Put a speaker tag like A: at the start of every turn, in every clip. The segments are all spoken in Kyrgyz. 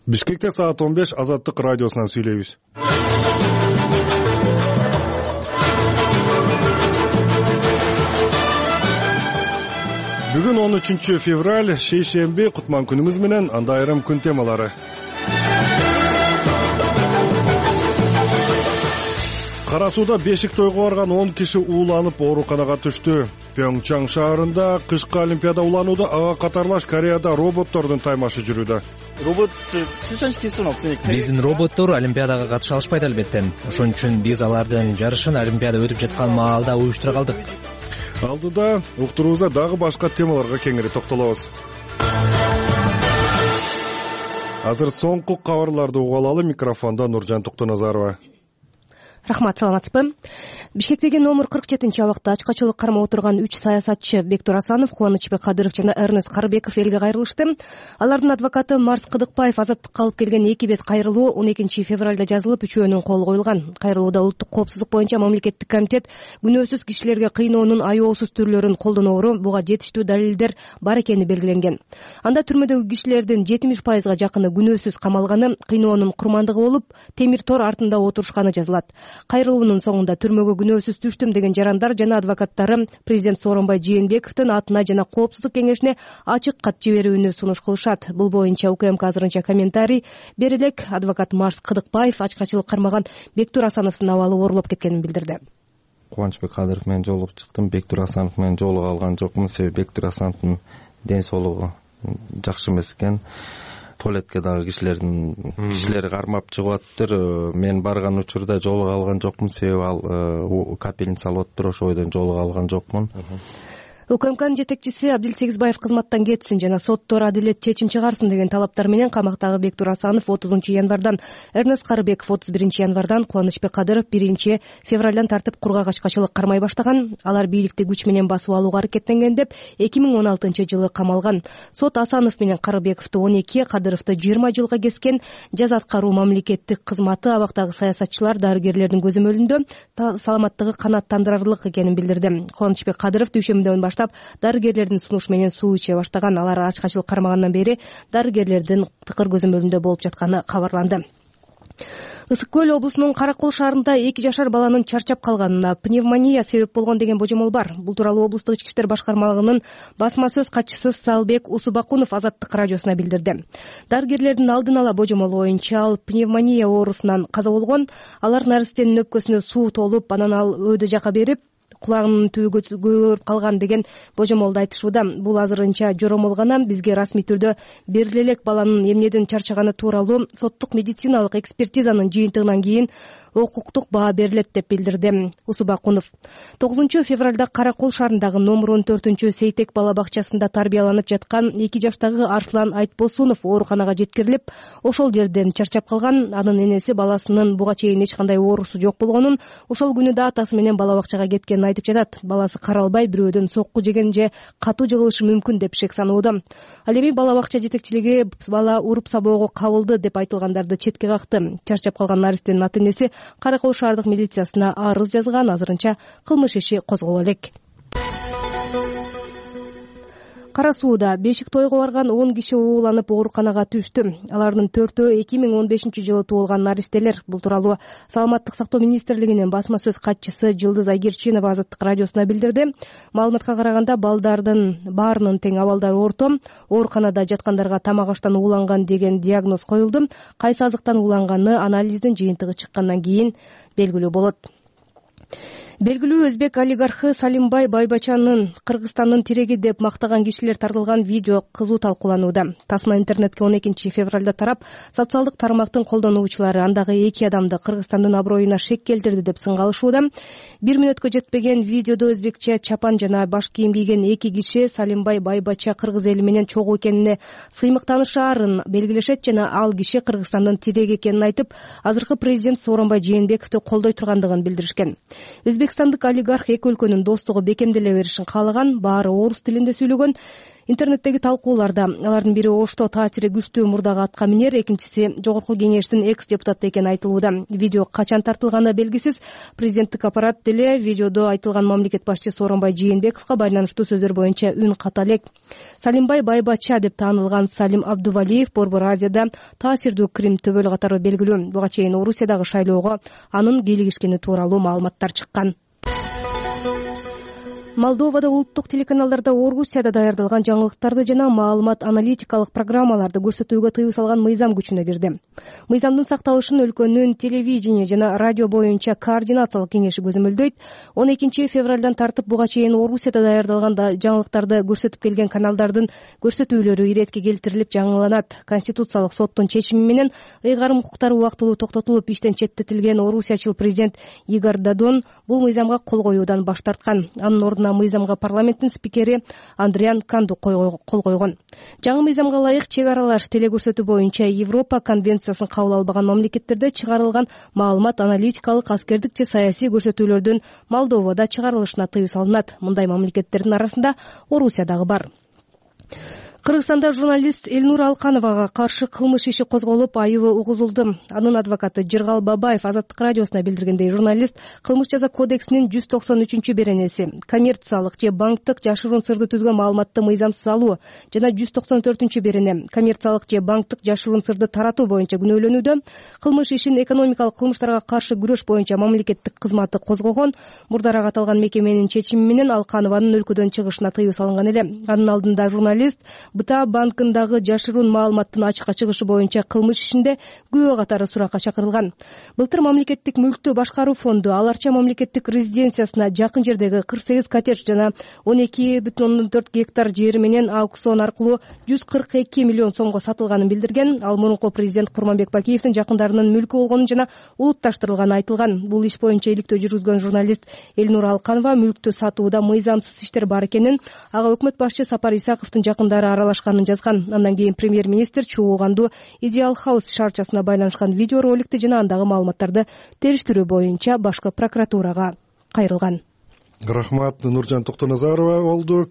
A: Бишкекте саат 15 Азаттык радиосунан сүйлөйбүз. Бүгүн 13 февраль, шейшемби, кутман күнүбүз менен анда айрым күн темалары. Кара сууда бешик тойго барган 10 киши ууланып ооруканага түштү. Пьонгчан шаарында кышкы олимпиада уланууда ага катарлаш Кореяда роботтордун таймашы жүрүүдө.
B: Биздин роботтор олимпиадага катыша алышпайт албетте. Ошон үчүн биз алардын жарышын олимпиада өтүп жаткан маалда уюштура калдык.
A: Алдыда уктуруубузда дагы башка темаларга кеңири токтолобуз. Азыр соңку кабарларды угуп алалы. Микрофондо Нуржан Токтоназарова.
C: Рахмат, саламатсызбы? Бишкектеги номер 47 абакта ачкачылык кармап отурган 3 саясатчы Бектур Асанов, Кубанычбек Кадыров жана Эрнест Карыбеков элге кайрылышты. Алардын адвокаты Марс Кыдыкбаев азаттыкка алып келген 2 бет кайрылуу 12 февралда жазылып, үчөөнүн колу коюлган. Кайрылууда улуттук коопсуздук боюнча мамлекеттик комитет күнөөсүз кишилерге кыйноонун аеосуз түрлөрүн колдоноору буга жетиштүү далилдер бар экени белгиленген. Анда түрмөдөгү кишилердин 70%га жакыны күнөөсүз камалганы, кыйноонун курмандыгы болуп, темир тор артында отурушканы жазылат. Кайрылуунун соңунда түрмөгө күнөөсүз түштүм деген жарандар жана адвокаттары президент Сооронбай Жээнбековдун атына жана коопсуздук кеңешине ачык кат жиберүүнү сунуш кылышат. Бул боюнча УКМК азырынча комментарий бере элек. Адвокат Марс Кыдыкбаев ачкачылык кармаган Бектур Асановдун абалы оорулуп кеткенин билдирди.
D: Кубанычбек Кадыров менен жолугуп чыктым. Бектур Асанов менен жолуга алган жокмун. Себеби Бектур Асановдун ден соолугу жакшы эмес экен. Туалетке дагы кишилер кармап чыгып атыптыр. Мен барган учурда жолуга алган жокмун, себеби ал капельница алып атыптыр, ошол бойдон жолуга алган жокмун.
C: УКМКнын жетекчиси Абдил Сегизбаев кызматтан кетсин жана соттор адилет чечим чыгарсын деген талаптар менен камактагы Бектур Асанов 30 январдан, Эрнест Карыбеков 31 январдан, Кубанычбек Кадыров 1 февралдан тартып кургак ачкачылык кармай баштаган. Алар бийликти күч менен басып алууга аракеттенген деп 2016-жылы камалган. Сот Асанов менен Карыбековду 12, Кадыровду 20 жылга кескен. Жаза аткаруу мамлекеттик кызматы абактагы саясатчылар, дарыгерлердин көзөмөлүндө саламаттыгы канааттандырарлык экенин билдирди. Кубанычбек Кадыров дүйшөмбүдөн баштап дарыгерлердин сунушу менен суу иче баштаган. Алар ачкачылык кармагандан бери дарыгерлердин тыкыр көзөмөлүндө болуп жатканы кабарланды. Ысык Көл облусунун Каракол шаарында 2 жашар баланын чарчап калганына пневмония себеп болгон деген божомол бар. Бул тууралуу облустук ички иштер башкармалыгынын басма сөз катчысы Салбек Усубакунов Азаттык радиосуна билдирди. Дарыгерлердин алдын ала божомолу боюнча ал пневмония оорусунан каза болгон. Алар наристенин өпкөсүнө суу толуп, анан ал өйдө жака берип, кулагынын түбү көгөрүп калган деген божомолду айтышууда. Бул азырынча жоромол гана. Бизге расмий түрдө бериле элек баланын эмнеден чарчаганы тууралуу соттук медициналык экспертизанын жыйынтыгынан кийин укуктук баа берилет деп билдирди Усубакунов. 9 февралда Каракол шаарындагы номер 14 Сейтек бала бакчасында тарбияланып жаткан 2 жаштагы Арслан Айтбосунов ооруканага жеткирилип, ошол жерден чарчап калган. Анын энеси баласынын буга чейин эч кандай оорусу жок болгонун, ошол күнү да атасы менен бала бакчага кеткенин айтып жатат. Баласы каралбай бирөөдөн сокку жеген же катуу жыгылышы мүмкүн деп шек санууда. Ал эми бала бакча жетекчилиги бала уруп сабоого кабылды деп айтылгандарды четке какты. Чарчап калган наристенин ата-энеси Каракол шаардык милициясына арыз жазган. Азырынча кылмыш иши козголо элек. Кара сууда бешик тойго барган 10 киши ууланып ооруканага түштү. Алардын 4-өө 2015-жылы туулган наристелер. Бул тууралуу Саламаттык сактоо министрлигинин басма сөз катчысы Жылдыз Айгерчинова Азаттык радиосуна билдирди. Маалыматка караганда балдардын баарынын тең абалдары орто. Ооруканада жаткандарга тамак аштан ууланган деген диагноз коюлду. Кайсы азыктан ууланганы анализдин жыйынтыгы чыккандан кийин белгилүү болот. Белгилүү өзбек олигархы Салимбай Байбачанын Кыргызстандын тиреги деп мактаган кишилер тартылган видео кызуу талкууланууда. Тасма интернетке 12 февралда тарап, социалдык тармактын колдонуучулары андагы 2 адамды Кыргызстандын аброюна шек келтирди деп сынгалышууда. 1 мүнөткө жетпеген видеодо өзбекче чапан жана баш кийим кийген 2 киши Салимбай Байбача кыргыз эли менен чогуу экенине сыймыктанышаарын белгилешет жана ал киши Кыргызстандын тиреги экенин айтып, азыркы президент Сооронбай Жээнбековду колдой тургандыгын билдиришкен. Өзбекстандык олигарх эки өлкөнүн достугу бекемделе беришин каалаган, баары орус тилинде сүйлөгөн. Интернеттеги талкууларда алардын бири Ошто таасири күчтүү мурдагы атка минер, экинчиси жогорку кеңештин экс депутаты экени айтылууда. Видео качан тартылганы белгисиз. Президенттик аппарат деле видеодо айтылган мамлекет башчысы Сооронбай Жээнбековго байланыштуу сөздөр боюнча үн ката элек. Салимбай Байбачча деп таанылган Салим Абдувалиев Борбор Азияда таасирдүү Крим төбөлү катары белгилүү. Буга чейин Орусиядагы шайлоого анын кийлигишкени тууралуу маалыматтар чыккан. Молдовада улуттук телеканалдарда Орусияда даярдалган жаңылыктарды жана маалымат аналитикалык программаларды көрсөтүүгө тыюу салган мыйзам күчүнө кирди. Мыйзамдын сакталышын өлкөнүн телевидение жана радио боюнча координациялык кеңеши көзөмөлдөйт. 12 февралдан тартып буга чейин Орусияда даярдалган жаңылыктарды көрсөтүп келген каналдардын көрсөтүүлөрү иретке келтирилип жаңыланат. Конституциялык соттун чечими менен ыйгарым укуктары убактылуу токтотулуп иштен четтетилген орусиячыл президент Игорь Додон бул мыйзамга кол коюудан баш тарткан. Анын ордуна мыйзамга парламенттин спикери Андриан Канду кол койгон. Жаңы мыйзамга ылайык чек аралаш телекөрсөтүү боюнча Европа конвенциясын кабыл албаган мамлекеттерде чыгарылган маалымат аналитикалык, аскердик же саясий көрсөтүүлөрдүн Молдовада чыгарылышына тыюу салынат. Мындай мамлекеттердин арасында Орусия дагы бар. Кыргызстанда журналист Элнур Алкановага каршы кылмыш иши козголуп, айыбы угузулду. Анын адвокаты Жыргал Бабаев Азаттык радиосуна билдиргендей, журналист Кылмыш жаза кодексинин 193-беренеси коммерциялык же банктык жашыруун сырды түзгөн маалыматты мыйзамсыз алуу жана 194-берене коммерциялык же банктык жашыруун сырды таратуу боюнча күнөөлөнүүдө. Кылмыш ишин экономикалык кылмыштарга каршы күрөш боюнча мамлекеттик кызматы козгогон. Мурдараак аталган мекеменин чечими менен Алканованын өлкөдөн чыгышына тыюу салынган эле. Анын алдында журналист БТА банкындагы жашыруун маалыматтын ачыкка чыгышы боюнча кылмыш ишинде күбө катары суракка чакырылган. Былтыр мамлекеттик мүлктү башкаруу фонду Аларча мамлекеттик резиденциясына жакын жердеги 48 коттедж жана 12,4 гектар жери менен аукцион аркылуу 142 миллион сомго сатылганын билдирген. Ал мурунку президент Курманбек Бакиевдин жакындарынын мүлкү болгонун жана улутташтырылганын айтылган. Бул иш боюнча иликтөө жүргүзгөн журналист Элнур Алканова мүлктү сатууда мыйзамсыз иштер бар экенин, ага өкмөт башчы Сапар Исаковдун жакындары аралашканын жазган. Андан кийин премьер-министр чогуугандуу Идеал Хаус шаарчасына байланышкан видео роликти жана андагы маалыматтарды териштирүү боюнча башкы прокуратурага кайрылган.
A: Рахмат, Нуржан Токтоназарова болду.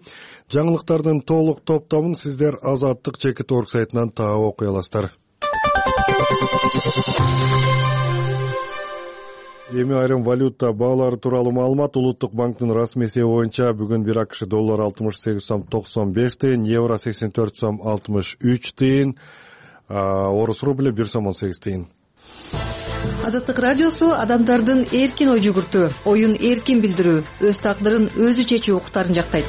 A: Жаңылыктардын толук топтомун сиздер Азаттык Чекит.org сайтынан таап окуй аласыздар. Эми айрым валюта баалары тууралуу маалымат. Улуттук банктын расмий эсеби боюнча бүгүн 1 АКШ доллары 68 сом 95 тыйын, евро 84 сом 63 тыйын, орус рубли 1 сом 18 тыйын.
E: Азаттык радиосу адамдардын эркин ой жүгүртүү, оюн эркин билдирүү, өз тагдырын өзү чечүү укуктарын жактайт.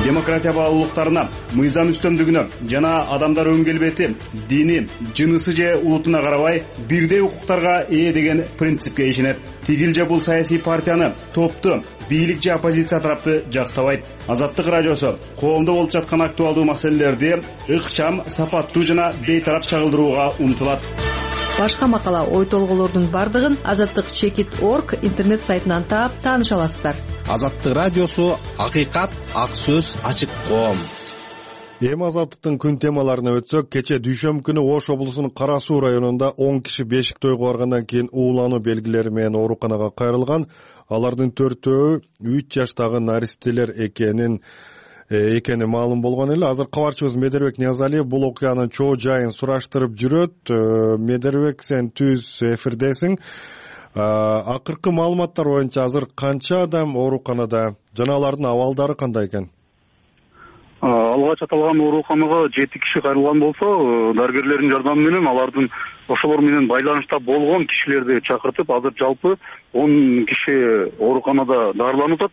F: Демократия баалуулуктарына, мыйзам үстөмдүгүнө жана адамдар өн келбети, дини, жынысы же улутуна карабай бирдей укуктарга ээ деген принципке ишенет. Тигил же бул саясий партияны, топту, бийлик же оппозиция тарапты жактабайт. Азаттык радиосу коомдо болуп жаткан актуалдуу маселелерди ыкчам, сапаттуу жана бейтарап чагылдырууга умтулат.
E: Башка макала, ой толголордун бардыгын Азаттык Чекит.org интернет сайтынан таап тааныша аласыздар.
G: Азаттык радиосу акыйкат, ак сөз, ачык коом.
A: Эми Азаттыктын күн темаларына өтсөк, кече дүйшөмбү күнү Ош облусунун Кара Суу районунда 10 киши бешик тойго баргандан кийин уулануу белгилери менен ооруканага кайрылган. Алардын 4-өө 3 жаштагы наристелер экени маалым болгон эле. Азыр кабарчыбыз Медербек Ниязалиев бул окуянын чоо жайын сураштырып жүрөт. Медербек, сен түз эфирдесиң. Акыркы маалыматтар боюнча азыр канча адам ооруканада жана алардын абалдары кандай экен?
H: Алгач аталган ооруканага 7 киши кайрылган болсо, дарыгерлердин жардамы менен алардын ошолор менен байланышта болгон кишилерди чакыртып, азыр жалпы 10 киши ооруканада дарыланып атат.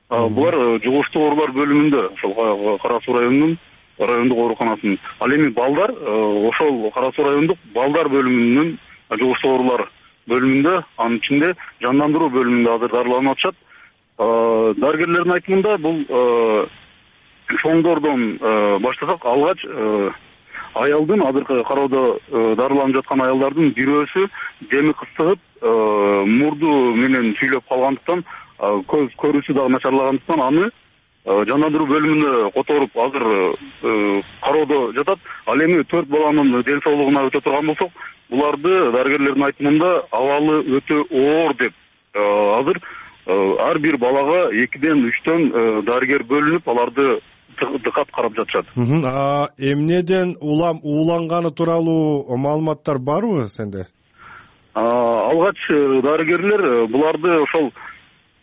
H: Булар жугуштуу оорулар бөлүмүндө, ошол Кара Суу райондук ооруканасынын. Ал эми балдар ошол Кара Суу райондук балдар бөлүмүнүн жугуштуу оорулар бөлүмүндө, анын ичинде жандандыруу бөлүмүндө азыр дарыланып атышат. Дарыгерлердин айтымында бул чоңдордон баштасак, алгач аялдын азыркы кароодо дарыланып жаткан аялдардын бирөөсү деми кыстыгып, мурду менен сүйлөп калгандыктан, көз көрүүсү дагы начарлагандыктан аны жандандыруу бөлүмүнө которуп азыр кароодо жатат. Ал эми 4 баланын ден соолугуна өтө турган болсок, буларды дарыгерлердин айтымында абалы өтө оор деп, азыр ар бир балага 2-ден 3төн дарыгер бөлүнүп, аларды дыкат карап жатышат.
A: Эмнеден улам ууланганы тууралуу маалыматтар барбы сенде?
H: Алгач дарыгерлер буларды ошол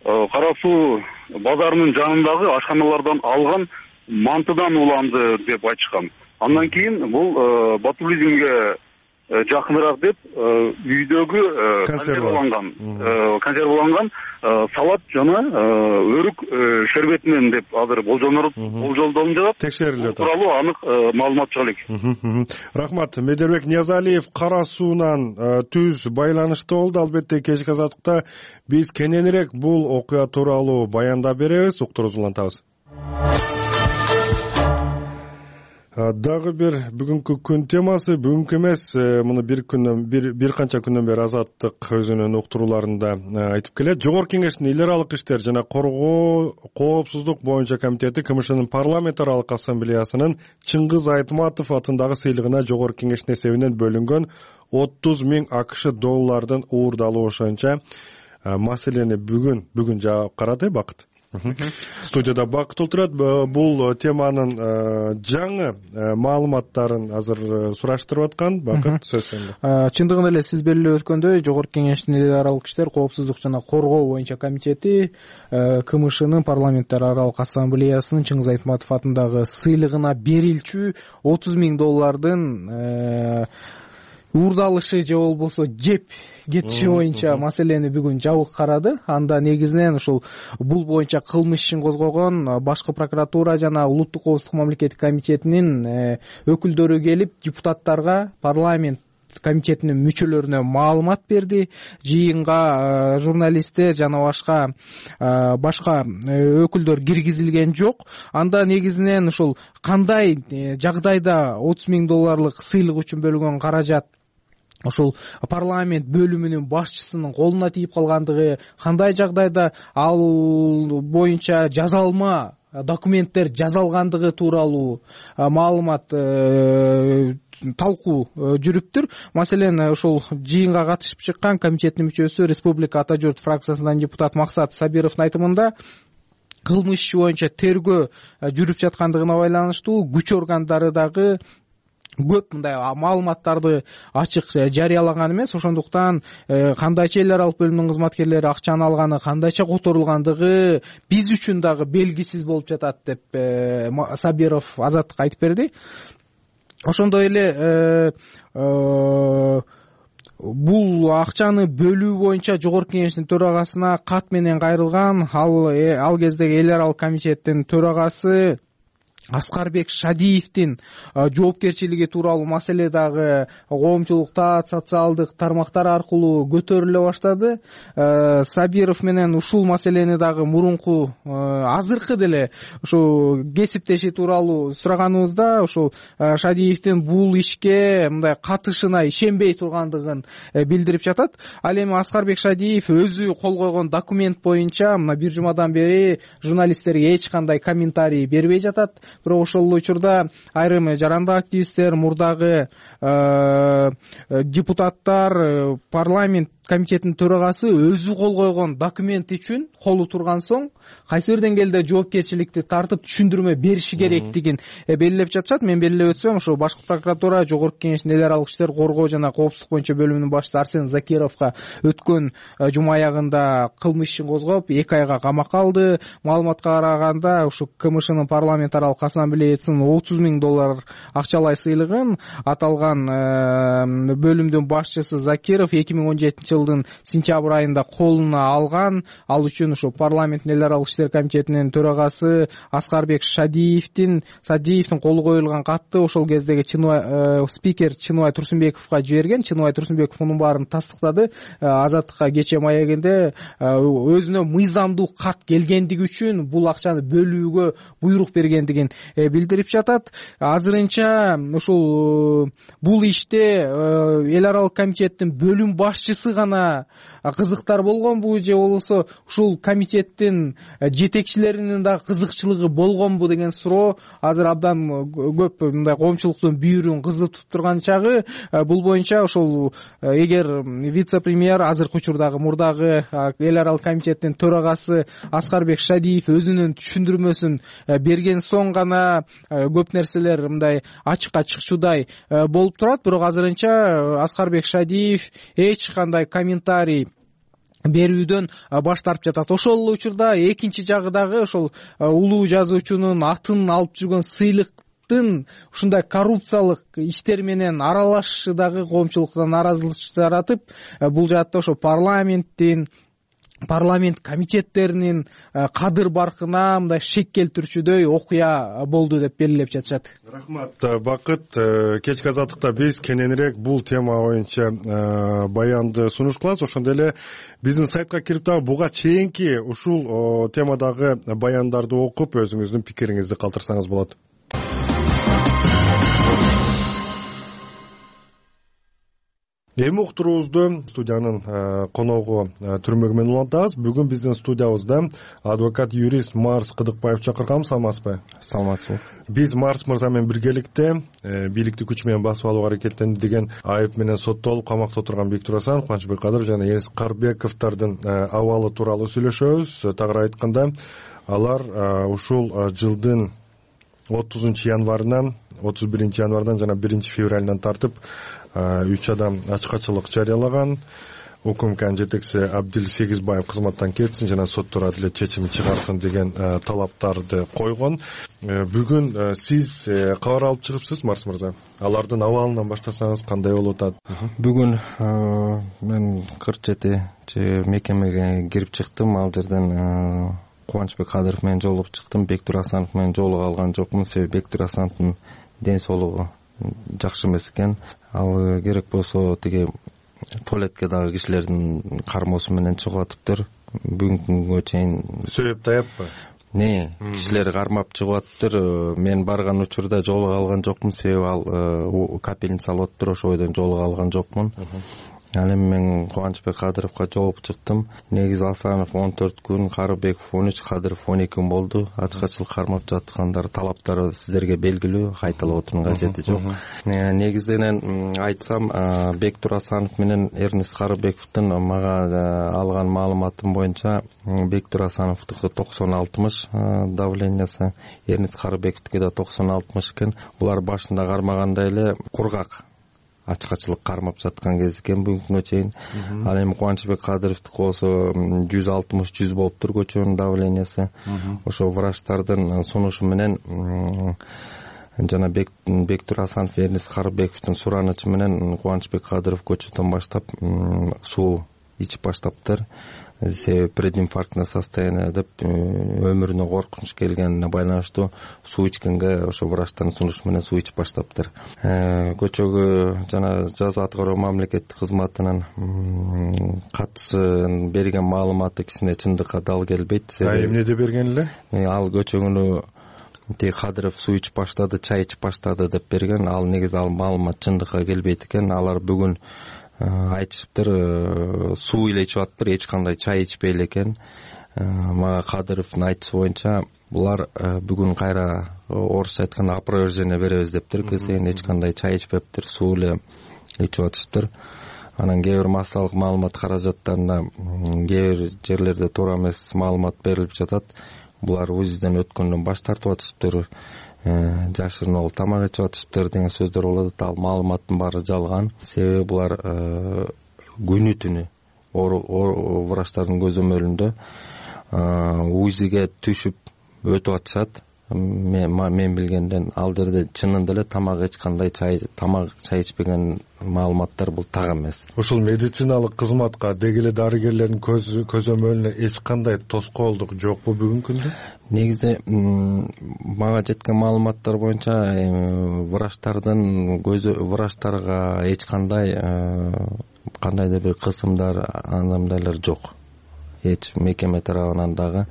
H: Кара Суу базарынын жанындагы ашканалардан алган мантыдан уланды деп айтышкан. Андан кийин бул ботулизмге жакыныраак деп үйдөгү консерваланган салат жана өрүк шербетинен деп азыр болжолдонуп жатат.
A: Текшерилип жатат.
H: Тууралуу анык маалымат чыга элек.
A: Рахмат. Медербек Ниязалиев Кара Суунан түз байланышта болду. Албетте кечки азаттыкта биз кененирээк бул окуя тууралуу баяндап беребиз. Уктуруңузду улантабыз. Дагы бир бүгүнкү күн темасы, бүгүнкү эмес, муну бир канча күндөн бери Азаттык өзүнүн уктурууларында айтып келет. Жогорку Кеңештин эл аралык иштер жана коргоо коопсуздук боюнча комитети КМШнын парламент аралык ассамблеясынын Чыңгыз Айтматов атындагы сыйлыгына Жогорку Кеңештин эсебинен бөлүнгөн 30 000 АКШ доллардын уурдалуу ошонча маселени бүгүн жаап карады. Бакыт. Студияда Бакыт отурат. Бул теманын жаңы маалыматтарын азыр сураштырып аткан. Бакыт, сөз сенде.
I: Чындыгында эле сиз белгилеп өткөндөй, Жогорку Кеңештин эл аралык иштер коопсуздук жана коргоо боюнча комитети КМШнын парламенттер аралык ассамблеясынын Чыңгыз Айтматов атындагы сыйлыгына берилчү 30 000 доллардын уурдалышы же болбосо жеп кетиши боюнча маселени бүгүн жабык карады. Анда негизинен ушул бул боюнча кылмыш ишин козгогон башкы прокуратура жана улуттук коопсуздук мамлекеттик комитетинин өкүлдөрү келип депутаттарга, парламент комитетинин мүчөлөрүнө маалымат берди. Жыйынга журналисттер жана башка өкүлдөр киргизилген жок. Анда негизинен ушул кандай жагдайда 30 000 долларлык сыйлык үчүн бөлүнгөн каражат ошол парламент бөлүмүнүн башчысынын колуна тийип калгандыгы, кандай жагдайда ал боюнча жазалма документтер жазалгандыгы тууралуу маалымат талкуу жүрүптүр. Маселен, ошол жыйынга катышып чыккан комитеттин мүчөсү Республика Ата журт фракциясынан депутат Максат Сабировдун айтымында кылмыш иши боюнча тергөө жүрүп жаткандыгына байланыштуу күч органдары дагы көп мындай маалыматтарды ачык жарыялаган эмес. Ошондуктан кандайча эл аралык бөлүмдүн кызматкерлери акчаны алганы, кандайча которулгандыгы биз үчүн дагы белгисиз болуп жатат деп Сабиров Азаттыкка айтып берди. Ошондой эле бул акчаны бөлүү боюнча Жогорку Кеңештин төрагасына кат менен кайрылган. Ал кездеги эл аралык комитеттин төрагасы Аскарбек Шадиевдин жоопкерчилиги тууралуу маселе дагы коомчулукта социалдык тармактар аркылуу көтөрүлө баштады. Сабиров менен ушул маселени дагы мурунку азыркы деле ушу кесиптеши тууралуу сураганыбызда ушул Шадиевдин бул ишке мындай катышына ишенбей тургандыгын билдирип жатат. Ал эми Аскарбек Шадиев өзү кол койгон документ боюнча мына бир жумадан бери журналисттерге эч кандай комментарий бербей жатат. Бирок ошол учурда айрым жарандык активисттер, мурдагы депутаттар, парламент комитетинин төрагасы өзү кол койгон документ үчүн колу турган соң кайсы бир деңгээлде жоопкерчиликти тартып түшүндүрмө бериши керектигин белгилеп жатышат. Мен белгилеп өтсөм, ошо башкы прокуратура Жогорку Кеңештин эл аралык иштер коргоо жана коопсуздук боюнча бөлүмүнүн башчысы Арсен Закировго өткөн жума аягында кылмыш ишин козгоп 2 айга камакка алды. Маалыматка караганда ушу КМШнын парламент аралык ассамблеясынын 30 000 доллар акчалай сыйлыгын аталган бөлүмдүн башчысы Закиров 2017 жылдын сентябрь айында колуна алган. Ал үчүн ушу парламенттин эл аралык иштер комитетинин төрагасы Аскарбек Шадиевдин колу коюлган катты ошол кездеги спикер Чыныбай Турсунбековго жиберген. Чыныбай Турсунбеков мунун баарын тастыктады. Азаттыкка кечээ маегинде өзүнө мыйзамдуу кат келгендиги үчүн бул акчаны бөлүүгө буйрук бергендигин билдирип жатат. Азырынча ушул бул иште эл аралык комитеттин бөлүм башчысы гана кызыктар болгонбу же болбосо ушул комитеттин жетекчилеринин дагы кызыкчылыгы болгонбу деген суроо азыр абдан көп мындай коомчулуктун бүйүрүн кыздыртып турган чагы. Бул боюнча ошол эгер вице-премьер азыркы учурдагы мурдагы эл аралык комитеттин төрагасы Аскарбек Шадиев өзүнүн түшүндүрмөсүн берген соң гана көп нерселер мындай ачыкка чыкчудай болуп турат. Бирок азырынча Аскарбек Шадиев эч кандай комментарий берүүдөн баш тартып жатат. Ошол эле учурда экинчи жагы дагы ошол улуу жазуучунун атын алып жүргөн сыйлыктын ушундай коррупциялык иштер менен аралашышы дагы коомчулукта нааразычылык жаратып, бул жаатта ошо парламент комитеттеринин кадыр баркына мындай шек келтирүүчүдөй окуя болду деп белгилеп жатышат.
A: Рахмат Бакыт. Кечки азаттыкта биз кененирээк бул тема боюнча баянды сунуш кылабыз. Ошондой эле биздин сайтка кирип дагы буга чейинки ушул темадагы баяндарды окуп өзүңүздүн пикириңизди калтырсаңыз болот. Эми уктуруубузду студиянын коногу Түрмөгү менен улантабыз. Бүгүн биздин студиябызда адвокат юрист Марс Кыдыкбаев чакырганбыз. Саламатсызбы?
D: Саламатсыз.
A: Биз Марс мырза менен биргеликте бийликти күч менен басып алууга аракеттенди деген айып менен соттолуп камакта отурган Бектур Асанов, Кубанычбек Кадыров жана Энис Карбековдордун абалы тууралуу сүйлөшөбүз. Тагыраак айтканда, алар ушул жылдын 30-январынан 31-январдан жана 1-февралынан тартып 3 адам ачкачылык жарыялаган. УКМКнын жетекчиси Абдил Сегизбаев кызматтан кетсин жана соттор адилет чечим чыгарсын деген талаптарды койгон. Бүгүн сиз кабар алып чыгыпсыз, Марс мырза. Алардын абалынан баштасаңыз кандай болуп атат?
D: Бүгүн мен 47 мекемеге кирип чыктым. Ал жерден Кубанычбек Кадыров менен жолугуп чыктым. Бектур Асанов менен жолугуп алган жокмун. Себеби Бектур Асановдун ден соолугу жакшы эмес экен. Ал керек болсо тиги туалетке дагы кишилердин кармоосу менен чыгып атыптыр. Бүгүнкү күнгө чейин
A: сөйөп тааппы?
D: Кишилер кармап чыгып атыптыр. Мен барган учурда жолугуп алган жокмун. Себеби ал капельница алып атыптыр. Ошол бойдон жолугуп алган жокмун. Ал эми мен Кубанычбек Кадыровго жолугуп чыктым. Негизи Асанов 14 күн, Карыбеков 13, Кадыров 12 күн болду. Ачкачылык кармап жаткандар талаптары сиздерге белгилүү, кайталап отуруунун кажети жок. Негизинен айтсам, Бектур Асанов менен Эрнис Карыбековдун мага алган маалыматым боюнча Бектур Асановдуку 90-60 давлениясы, Эрнис Карыбековдуку да 90-60 экен. Булар башында кармагандай эле кургак ачкачылык кармап жаткан кез экен бүгүнкүнгө чейин. Ал эми Кубанычбек Кадыровдуку болсо 160-100 болуптур көчөнүн давлениясы. Ошо врачтардын сунушу менен жана Бектур Асанов, Эрнис Карыбековдун суранычы менен Кубанычбек Кадыров көчөдөн баштап суу ичип баштаптыр. Себеби прединфарктное состояние деп өмүрүнө коркунуч келгенине байланыштуу суу ичкенге ошо врачтардын сунушу менен суу ичип баштаптыр. Көчөгө жана жаза аткаруу мамлекеттик кызматынын катчысы берген маалыматы кичине чындыкка дал келбейт.
A: Эмнеде берген эле?
D: Ал көчөгүнү Кадыров суу ичип баштады, чай ичип баштады деп берген. Ал негизи ал маалымат чындыкка келбейт экен. Алар бүгүн айтышыптыр, суу эле ичип атыптыр, эч кандай чай ичпей элекен. Мага Кадыровдун айтышы боюнча булар бүгүн кайра орусча айтканда опровержение беребиз дептир. Кесейин эч кандай чай ичпептир, суу эле ичип атышыптыр. Анан кээ бир массалык маалымат каражаттарына кээ бир жерлерде туура эмес маалымат берилип жатат. Булар УЗИден өткөндөн баш тартып атышыптыр, жашырын ол тамак ичип атышыптыр деген сөздөр болот. Ал маалыматтын баары жалган. Себеби булар күнү түнү врачтардын көзөмөлүндө УЗИге түшүп өтүп атышат. Мен билгенден ал жерде чынында эле эч кандай тамак чай ичпеген маалыматтар бул так эмес.
A: Ушул медициналык кызматка деги эле дарыгерлердин көзөмөлүнө эч кандай тоскоолдук жокпу бүгүнкү күндө?
D: Негизи мага жеткен маалыматтар боюнча врачтарга эч кандайдыр бир кысымдар, андайлар жок. эч мекеме тарабынан дагы.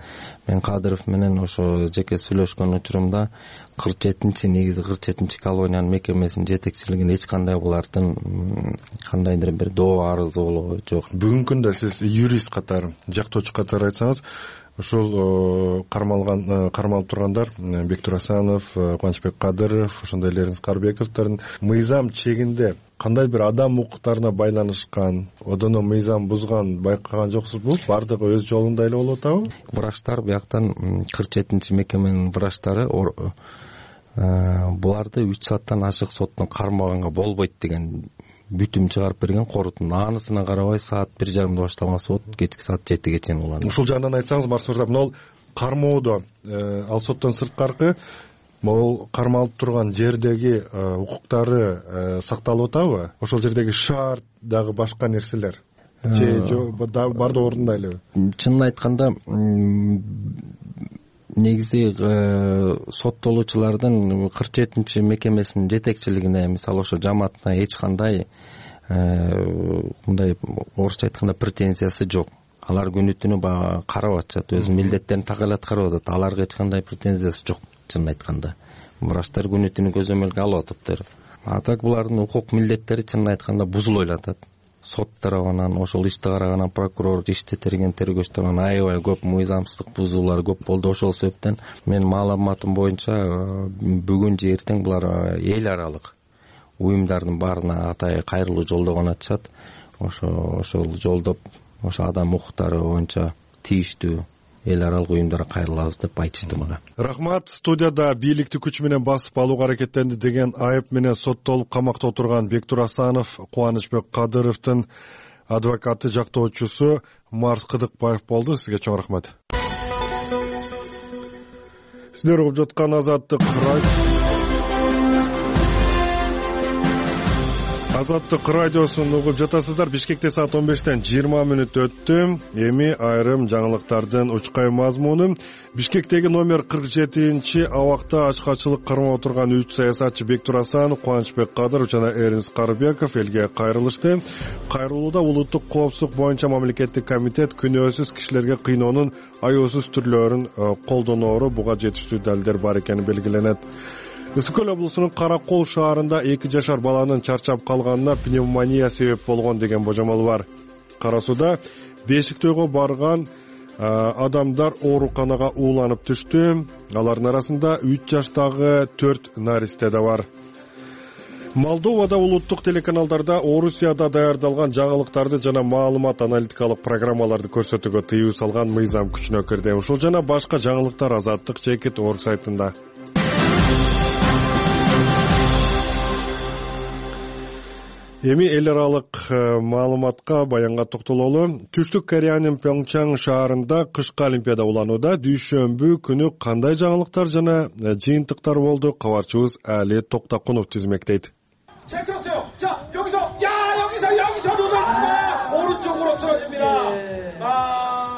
D: Мен Кадыров менен ошо жеке сүйлөшкөн учурумда 47-негизи 47 колониянын мекемесинин жетекчилигин эч кандай булардын кандайдыр бир доо арызы болгон жок.
A: Бүгүнкү күндө сиз юрист катары, жактоочу катары айтсаңыз, ушул кармалып тургандар Бектур Асанов, Кубанычбек Кадыров, ошондой эле Эрнис Карыбековдордун мыйзам чегинде кандай бир адам укуктарына байланышкан, одоно мыйзам бузган байкаган жоксузбу? Бардыгы өз жолунда эле болуп атабы?
D: Врачтар бияктан 47 мекеменин врачтары буларды 3 сааттан ашык соттун кармаганга болбойт деген бүтүм чыгарып берген корутун. Анысына карабай саат 1:30 башталган сот кечки саат 7ге чейин уланды.
A: Ушул жагынан айтсаңыз, Марс мырза, мына кармоодо ал соттон сырткаркы могул кармалып турган жердеги укуктары сакталып атабы? Ошол жердеги шарт дагы башка нерселер бардыгы ордунда элеби?
D: Чынын айтканда, негизи соттолуучулардын 47 мекемесинин жетекчилигине, мисалы ошо жамаатына эч кандай мындай орусча айтканда претензиясы жок. Алар күнү түнү карап атышат, өз милдеттерин так эле аткарып атат. Аларга эч кандай претензиясы жок, чынын айтканда. Врачтар күнү түнү көзөмөлгө алып атыптыр. А так булардын укук милдеттери чынын айтканда бузулуп атат. Сот тарабынан, ошол ишти караган прокурор, ишти терген тергөөчтөрүн аябай көп мыйзамсыздык бузуулар көп болду. Ошол себептен менин маалыматым боюнча бүгүн же эртең булар эл аралык уюмдардын баарына атай кайрылуу жолдогон атышат. Ошол жолдоп, ошо адам укуктары боюнча тийиштүү эл аралык уюмдарга кайрылабыз деп айтышты мага.
A: Рахмат. Студияда бийликти күч менен басып алууга аракеттенди деген айып менен соттолуп камакта отурган Бектур Асанов, Кубанычбек Кадыровдун адвокаты, жактоочусу Марс Кыдыкбаев болду. Сизге чоң рахмат. Сиздер угуп жаткан Азаттык радиосун угуп жатасыздар. Бишкекте саат 15-тен 20 өттү. Эми айрым жаңылыктардын учкай мазмуну. Бишкектеги номер 47-чи абакта ачкачылык кармап отурган 3 саясатчы Бектур Асанов, Кубанычбек Кадыров жана Эрнис Карыбеков элге кайрылышты. Кайрылууда улуттук коопсуздук боюнча мамлекеттик комитет күнөөсүз кишилерге кыйноонун аюусуз түрлөрүн колдоноору буга жетиштүү далилдер бар экени белгиленет. Ысык Көл облусунун Каракол шаарында 2 жашар баланын чарчап калганына пневмония себеп болгон деген божомол бар. Кара Сууда Бешиктөйгө барган адамдар ооруканага ууланып түштү. Алардын арасында 3 жаштагы 4 наристе да бар. Молдовада улуттук телеканалдарда Орусияда даярдалган жаңылыктарды жана маалымат аналитикалык программаларды көрсөтүүгө тыюу салган мыйзам күчүнө кирди. Ушул жана башка жаңылыктар Азаттык.org сайтында. Эми эл аралык маалыматка, баянга токтололу. Түштүк Кореянын Пьонгчан шаарында кышкы олимпиада уланууда. Дүйшөмбү күнү кандай жаңылыктар жана жыйынтыктар болду? Кабарчыбыз Али Токтакунов тизмектейт.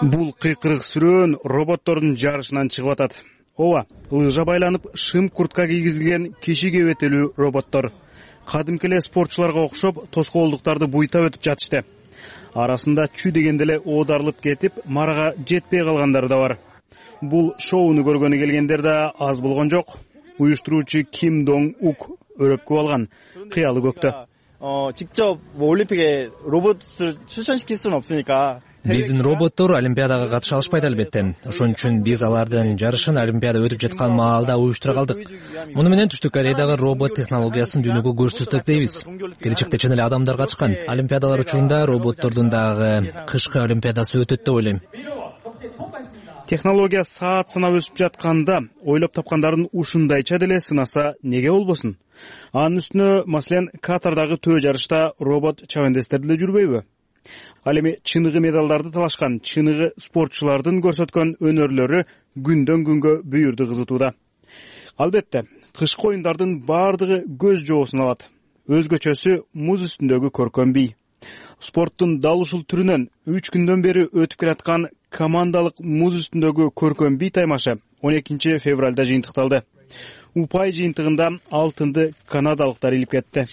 F: Бул кыйкырык сүрөөн роботтордун жарышынан чыгып атат. Ооба, лыжа байланып, шым куртка кийгизилген киши кебетелүү роботтор. Кадимки эле спортчуларга окшоп, тоскоолдуктарды буйтап өтүп жатышты. Арасында чүй дегенде эле оодарылып кетип, марага жетпей калгандар да бар. Бул шоуну көргөнү келгендер да аз болгон жок. Уюштуруучу Ким Донг Ук өрөпкө алган, кыялы көктө.
J: 직접 올림픽에 로봇을 출전시킬 수는 없으니까
B: Биздин роботтор олимпиадага катыша алышпайт албетте. Ошон үчүн биз алардын жарышын олимпиада өтүп жаткан маалда уюштура калдык. Муну менен Түштүк Кореядагы робот технологиясын дүйнөгө көрсөтсөк дейбиз. Келечекте чын эле адамдар катышкан. Олимпиадалар учурунда роботтордун дагы кышкы олимпиадасы өтөт деп ойлойм.
F: Технология саат санап өсүп жатканда, ойлоп тапкандардын ушундайча деле сынаса неге болбосун? Анын үстүнө, маселен, Катардагы төө жарышта робот чабандестерди деле жүрбөйбү? Ал эми чыныгы медалдарды талашкан, чыныгы спортчулардын көрсөткөн өнөрлөрү күндөн күнгө бүйүрдү кызытууда. Албетте, кышкы оюндардын бардыгы көз жоосун алат. Өзгөчөсү муз үстүндөгү көркөм бий. Спорттун дал ушул түрүнөн 3 күндөн бери өтүп келаткан командалык муз үстүндөгү көркөм бий таймашы 12 февралда жыйынтыкталды. Упай жыйынтыгында алтынды канадалыктар илип кетти.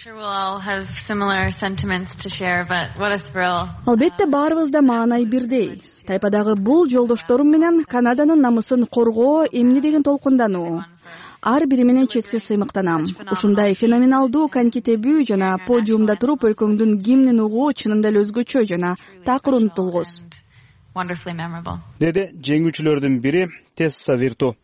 K: Албетте баарыбызда маанай бирдей. Тайпадагы бул жолдошторум менен Канаданын намысын коргоо эмне деген толкундануу. Ар бири менен чексиз сыймыктанам. Ушундай феноменалдуу конькитебүү жана подиумда туруп өлкөңдүн гимнин угуу чынында эле өзгөчө жана такыр унутулгус.
F: Деди жеңүүчүлөрдүн бири Тесса Вирту.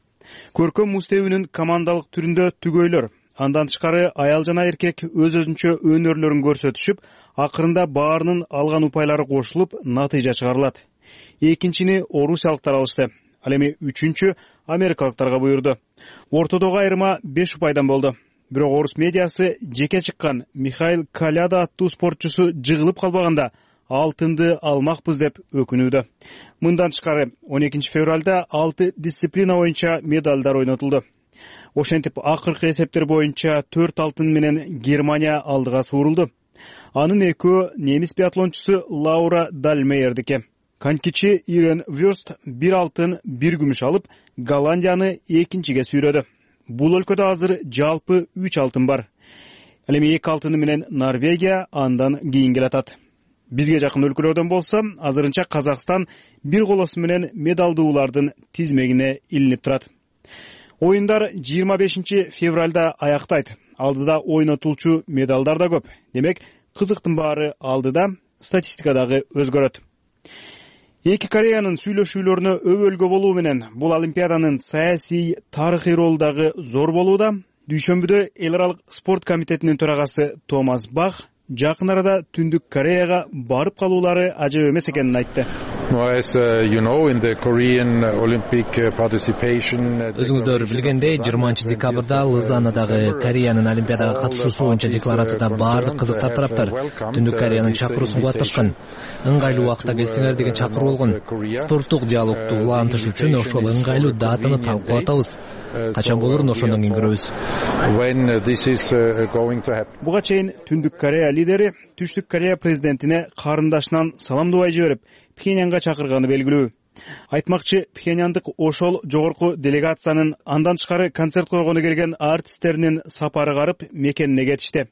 F: Көркөм муз-тебүүнүн командалык түрүндө түгөйлөр, андан тышкары аял жана эркек өз-өзүнчө өнөрлөрүн көрсөтүшүп, акырында баарынын алган упайлары кошулуп, натыйжа чыгарылат. Экинчини орусиялыктар алышты. Ал эми үчүнчү америкалыктарга буйрду. Ортодогу айырма 5 упайдан болду. Бирок орус медиасы жеке чыккан Михаил Коляда аттуу спортчусу жыгылып калбаганда алтынды алмакпыз деп өкүнүүдө. Мындан тышкары 12 февралда 6 дисциплина боюнча медалдар ойнотулду. Ошентип акыркы эсептер боюнча 4 алтын менен Германия алдыга суурулду. Анын экөө немис биатлончусу Лаура Дальмейердики. Конькичи Ирен Вёрст 1 алтын 1 күмүш алып, Голландияны экинчиге сүйрөдү. Бул өлкөдө азыр жалпы 3 алтын бар. Ал эми 2 алтыны менен Норвегия андан кийин келатат. Бизге жакын өлкөлөрдөн болсо, азырынча Казакстан бир колосу менен медалдуулардын тизмегине илинип турат. Оюндар 25 февралда аяктайт. Алдыда ойнотулчу медалдар да көп. Демек, кызыктын баары алдыда, статистика дагы өзгөрөт. Эки Кореянын сүйлөшүүлөрүнө өбөлгө болуу менен бул Олимпиаданын саясий, тарыхый ролу дагы зор болууда. Дүйшөмбүдө эл аралык спорт комитетинин төрагасы Томас Бах жакын арада Түндүк Кореяга барып калуулары ажап эмес экенин айтты.
B: Өзүңүздөр билгендей, 20 декабрда Лозаннадагы Кореянын Олимпиадага катышуусу боюнча декларацияда баардык кызыктар тараптар Түндүк Кореянын чакыруусун кубатташкан. Ыңгайлуу убакытта келсеңер деген чакыруу болгон. Спорттук диалогду улантыш үчүн ошол ыңгайлуу датаны талкуулап атабыз. Качан болорун ошондон кийин көрөбүз.
F: Буга чейин Түндүк Корея лидери Түштүк Корея президентине карындашынан саламдубай жиберип, Пхеньянга чакырганы белгилүү. Айтмакчы, Пхеньяндык ошол жогорку делегациянын андан тышкары концерт койгону келген артисттеринин сапары карып мекенине кетишти.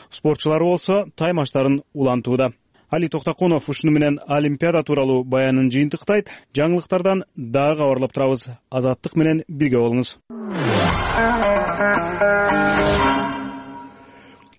F: Спортчулары болсо таймаштарын улантууда. Али Токтокунов ушуну менен Олимпиада тууралуу баянын жыйынтыктайт. Жаңылыктардан дагы кабарлап турабыз. Азаттык менен бирге болуңуз.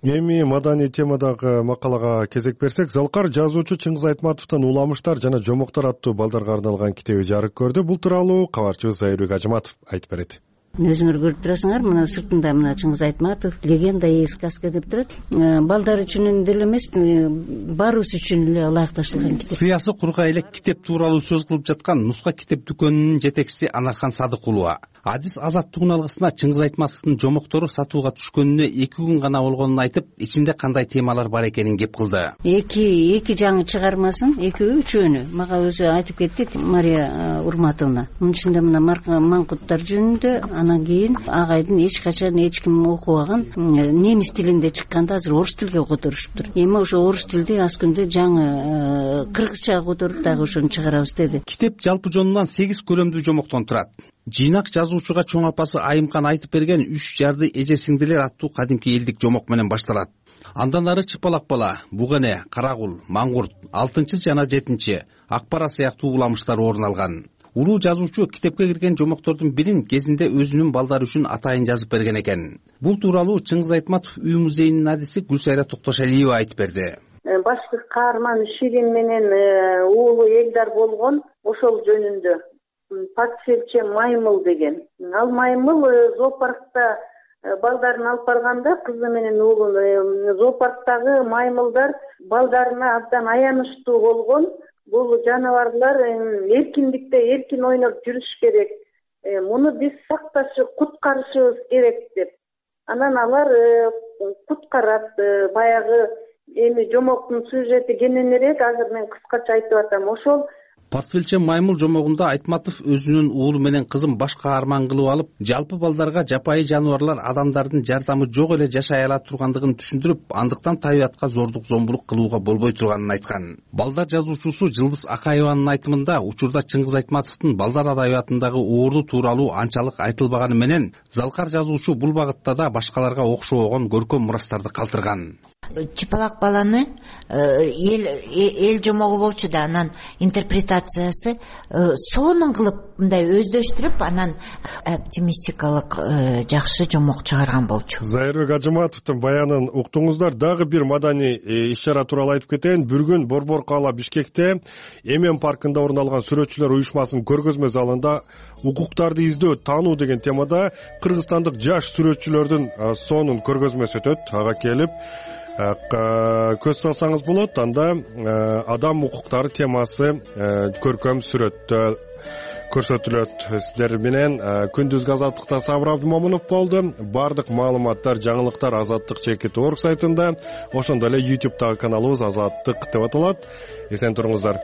A: Эми маданий темадагы макалага кезек берсек, Залкар жазуучу Чыңгыз Айтматовдун Уламыштар жана жомоктор аттуу балдарга арналган китеби жарык көрдү. Бул тууралуу кабарчыбыз Айырбек Ажыматов айтып берет.
L: Өзүңөр көрүп турасыңар, мына сыртында мына Чыңгыз Айтматов легенда и сказка деп турат. Балдар үчүн деле эмес, баарыбыз үчүн эле ылайыкташылган китеп.
G: Сыясы кургай эле китеп тууралуу сөз кылып жаткан Нуска китеп дүкөнүнүн жетекчиси Анархан Садыкулова. Адис азаттыгын алгысына Чыңгыз Айтматовдун жомоктору сатууга түшкөнүнө 2 күн гана болгонун айтып, ичинде кандай темалар бар экенин кеп кылды.
L: Эки жаңы чыгармасын, экөө үчөөнү мага өзү айтып кетти Мария Урматовна. Мунун ичинде мына маңкуттар жөнүндө, анан кийин агайдын эч качан эч ким окубаган немис тилинде чыкканда азыр орус тилге которушуптур. Эми ошо орус тилди аз күндө жаңы кыргызчага которуп дагы ошону чыгарабыз деди.
G: Китеп жалпы жонунан 8 көрөмдүү жомоктон турат. Жыйнак жазуучуга чоң апасы Айымкан айтып берген 3 жарды эже сиңдилер аттуу кадимки элдик жомок менен башталат. Андан ары Чыпалак бала, Бугене, Карагул, Маңгурт, 6 жана 7 Акбара сыяктуу уламыштар орун алган. Улуу жазуучу китепке кирген жомоктордун бирин кезинде өзүнүн балдары үчүн атайын жазып берген экен. Бул тууралуу Чыңгыз Айтматов үй музейинин адиси Гүлсайра Токтошалиева айтып берди.
M: Башкы каарман Ширин менен уулу Элдар болгон ошол жөнүндө. Патшелче Маймыл деген. Ал Маймыл зоопаркта балдарын алып барганда, кызы менен уулун, зоопарктагы маймылдар балдарына абдан аянычтуу болгон. Бул жаныбарлар эркиндикте эркин ойноп жүрүш керек. Муну биз сакташып, куткарышыбыз керек деп. Анан алар куткарат. Баягы эми жомоктун сюжети кененирээк, азыр мен кыскача айтып атам. Ошол
G: портфелче маймыл жомогунда Айтматов өзүнүн уулу менен кызын баш каарман кылып алып, жалпы балдарга жапайы жаныбарлар адамдардын жардамы жок эле жашай ала тургандыгын түшүндүрүп, андыктан табиятка зордук зомбулук кылууга болбой турганын айткан. Балдар жазуучусу Жылдыз Акаеванын айтымында учурда Чыңгыз Айтматовдун балдар адабиятындагы уурду тууралуу анчалык айтылбаганы менен, залкар жазуучу бул багытта да башкаларга окшобогон көркөм мурастарды калтырган.
N: Чыпалак баланы эл жомогу болчу да, анан интерпретациясы сонун кылып мындай өздөштүрүп, анан оптимистикалык жакшы жомок чыгарган болчу.
A: Зайырбек Ажыматовдун баянын уктуңуздар. Дагы бир маданий иш-чара тууралуу айтып кетейин. Бүргүн Борбор кала Бишкекте Эмен паркында орун алган сүрөтчүлөр уюшмасынын көргөзмө залында укуктарды издөө, таануу деген темада кыргызстандык жаш сүрөтчүлөрдүн сонун көргөзмөсү өтөт. Ага келип көз салсаңыз болот. Анда адам укуктары темасы көркөм сүрөттө көрсөтүлөт. Сиздер менен күндүзгү Азаттыкта Сабыр Абдымомунов болду. Бардык маалыматтар, жаңылыктар Азаттык @org сайтында, ошондой эле YouTube'дагы каналыбыз Азаттык деп аталат. Эсен туруңуздар.